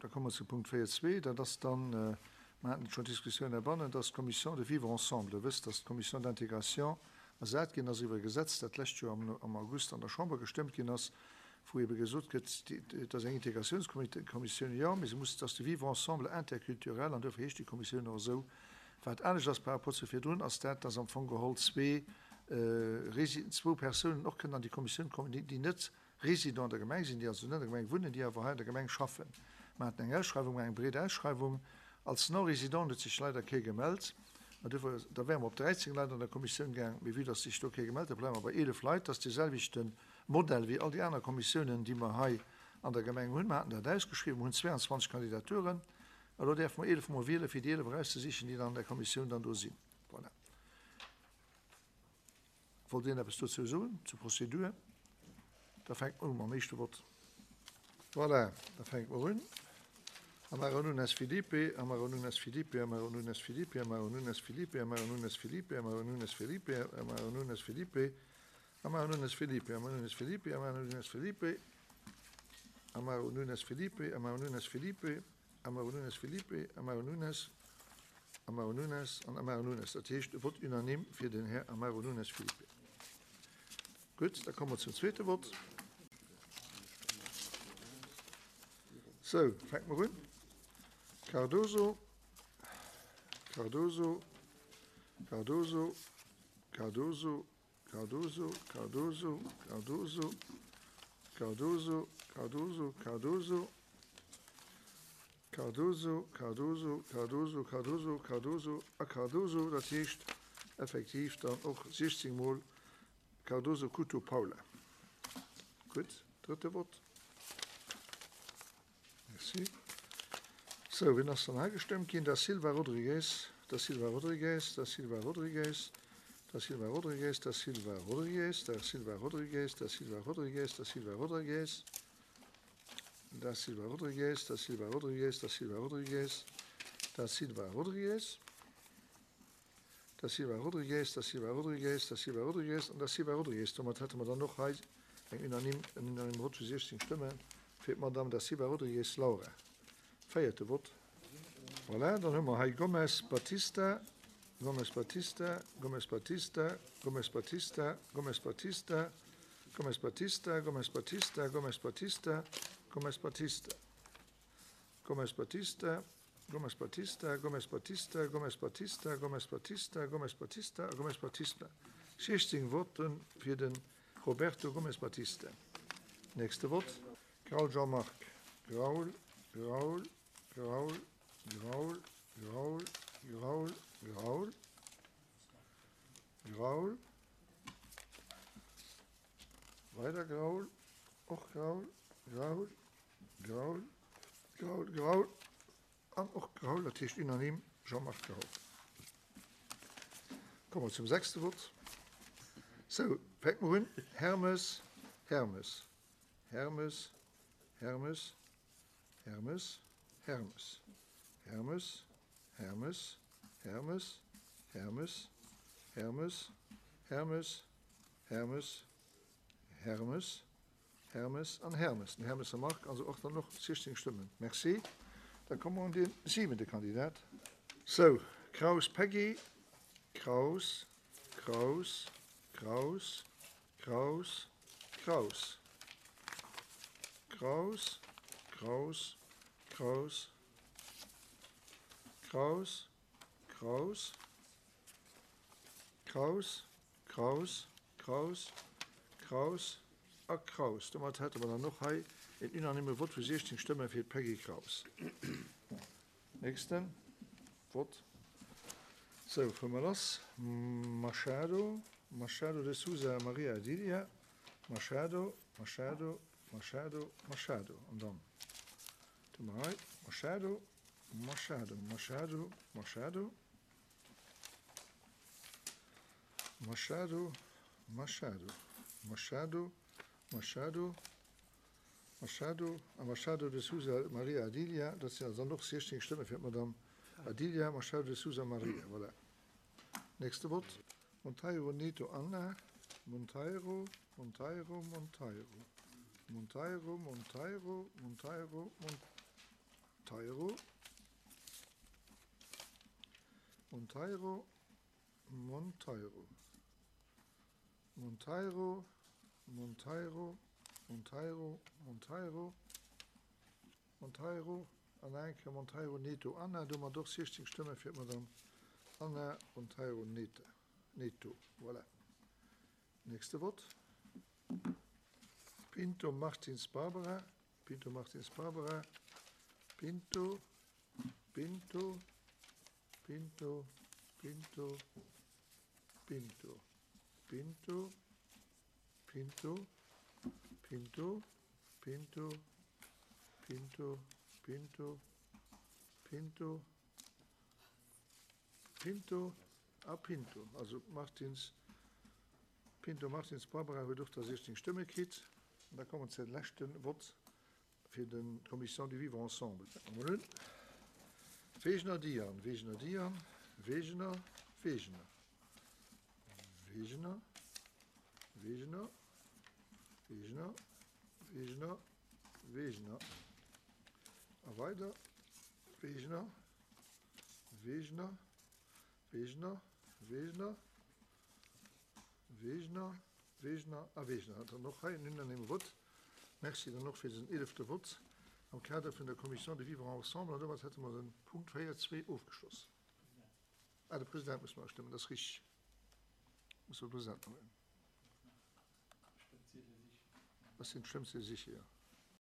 Da komme mer zu Punkt 4.2. Dat ass dann, mer haten et schonn d'Diskussioun heibannen, dat ass d'Commission de vivre ensemble. Der wësst, dass d'Commission d'intégration ersat ginn ass iwwer e Gesetz, dat d'lescht Joer am August an der Chamber gestëmmt ginn ass, wou ebe gesot gëtt, et ass eng Integratiounskommissioun, jo, mee se muss, et ass de Vivre ensemble interculturel an duerfir heescht déi Kommissioun och esou. Wat anescht ass par rapport zu virdrun, ass dat, dass am Fong geholl zwee zwou Persounen och kënnen an déi Kommissioun kommen, déi net Résident an der Gemeng sinn, déi also net an der Gemeng wunnen, déi awer hei an der Gemeng schaffen. Mer haten eng Ausschreiwung, eng breet Ausschreiwung. Als Non-Résident huet sech leider kee gemellt. An duerfir, da wäre mer op 13 Leit an der Kommissioun gaang, mee vue dass sech do kee gemellt huet, bleiwe mer bei 11 Leit. Dat ass dee selwechte Modell wéi all déi aner Kommissiounen, déi mer hei an der Gemeng hunn. Mer haten dat ausgeschriwwen, mer hunn 22 Kandidaturen. Elo däerfe mer 11 mol wielen, fir déi 11 erauszesichen, déi dann an der Kommissioun dann do sinn. Voilà. Wollt een eppes dozou soen, zur Prozedur? Da fänke mer u mam éischte Vott. Voilà, da fänke mer un. Amaro Nunes Filipe, Amaro Nunes Filipe, Amaro Nunes Filipe, Amaro Nunes Filipe, Amaro Nunes Filipe, Amaro Nunes Felipe, Amaro Nunes Filipe, Amaro Nunes Filipe, Amaro Nunes Filipe, Amaro Nunes Felipe, Amaro Nunes Filipe, Amaro Nunes Filipe, Amaro Nunes Filipe, Amaro Nunes, Amaro Nunes an Amaro Nunes. Dat heescht e Vott unanime fir den Här Amaro Nunes Filipe. Gutt, da komme mer zum zweete Vott. Sou, fänke mer un. Cardoso, Cardoso, Cardoso, Cardoso, Cardoso, Cardoso, Cardoso, Cardoso, Cardoso, Cardoso, Cardoso, Cardoso, Cardoso, Cardoso, Cardoso a Cardoso, dat heescht effektiv dann och 16 mol Cardoso Couto Paula. Gutt, drëtte Vott. Merci. Sou, wien ass dann hei gestëmmt ginn? Da Silva Rodrigues, Da Silva Rodrigues, Da Silva Rodrigues, Da Silva Rodrigues, Da Silva Rodrigues, Da Silva Rodrigues, Da Silva Rodrigues, Da Silva Rodrigues, Da Silva Rodrigues, Da Silva Rodrigues, Da Silva Rodrigues, Da Silva Rodrigues, Da Silva Rodrigues, Da Silva Rodrigues, Da Silva Rodrigues an Da Silva Rodrigues. Domat hätte mer dann och hei eng unanime, en unanime Vott vu 16 Stëmme fir d'Madame Da Silva Rodrigues Laura. Véierte Vott. Voilà, dann hu mer hei Gomes Batista, Gomes Batista, Gomes Batista, Gomes Batista, Gomes Batista, Gomes Batista, Gomes Batista, Gomes Batista, Gomes Batista. Gomes Batista, Gomes Batista, Gomes Batista, Gomes Batista, Gomes Batista, Gomes Batista a Gomes Batista. 16 Votte fir de Roberto Gomes Batista. Nächste Vott. Graul Jean-Marc, Graul, Graul, Graul, Graul, Graul, Graul, Graul, Graul, weider Graul, och Graul, Graul, Graul, Graul, Graul an och Graul, dat heescht unanime Jean-Marc Graul. Komme mer zum sechste Vott. Sou, fänke mer un, Hermes, Hermes, Hermes, Hermes, Hermes, Hermes, Hermes, Hermes, Hermes, Hermes, Hermes, Hermes, Hermes, Hermes, Hermes an Hermes, den Hermesser Marc, also och dann och 16 Stëmmen. Merci. Da komme mer un dee siwente Kandidat. Sou, Kraus Peggy, Kraus, Kraus, Kraus, Kraus, Kraus, Kraus, Kraus, Kraus, Kraus, Kraus, Kraus, Kraus, Kraus, Kraus a Kraus. Domat hätte mer dann och hei een unanime Vott vu 16 Stëmme fir d'Peggy Kraus. Nächste Vott. Sou, fuere mer lass. Machado, Machado de Sousa Maria Adilia, Machado, Machado, Machado, Machado. An dann hu mer hei Machado, Machado, Machado, Machado. Machado, Machado, Machado, Machado, Machado a Machado de Sousa Maria Adilia. Dat sinn also dann och 16 Stëmme fir d'Madame Adilia Machado de Sousa Maria. Voilà. Nächste Vott. Monteiro Neto Ana, Monteiro, Monteiro, Monteiro, Monteiro, Monteiro, Monteiro, Monteiro. Monteiro, Monteiro, Monteiro, Monteiro, Monteiro, Monteiro, Monteiro an nach eng Kéier Monteiro Neto Ana. Domat och 16 Stëmme fir d'Madame Ana Monteiro Neto. Voilà. Nächste Vott. Pinto Martins Barbara, Pinto Martins Barbara, Pinto, Pinto, Pinto, Pinto, Pinto, Pinto, Pinto, Pinto, Pinto, Pinto, Pinto, Pinto, Pinto a Pinto. Also Martins, Pinto Martins Barbara huet och da 16 Stëmme kritt. An da komme mer zu leschte Vott fir den d'Commission du Vivre ensemble. Mol un. Wegener Diane, Wegener Diane, Wegener, Wegener, Wegener, Wegener, Wegener, Wegener, Wegener a weider Wegener, Wegener, Wegener, Wegener, Wegener, Wegener a Wegener. Dann och hei en unanime Vott. Merci dann och fir dësen eelefte Vott am Kader vun der Commission du Vivre ensemble. An domat hätte mer de Punkt 4.2 ofgeschloss. Ah, de President muss mer astëmmen, dat ass richtig. Muss de President nach. Dat sinn d'Stëmmziele sicher, jo.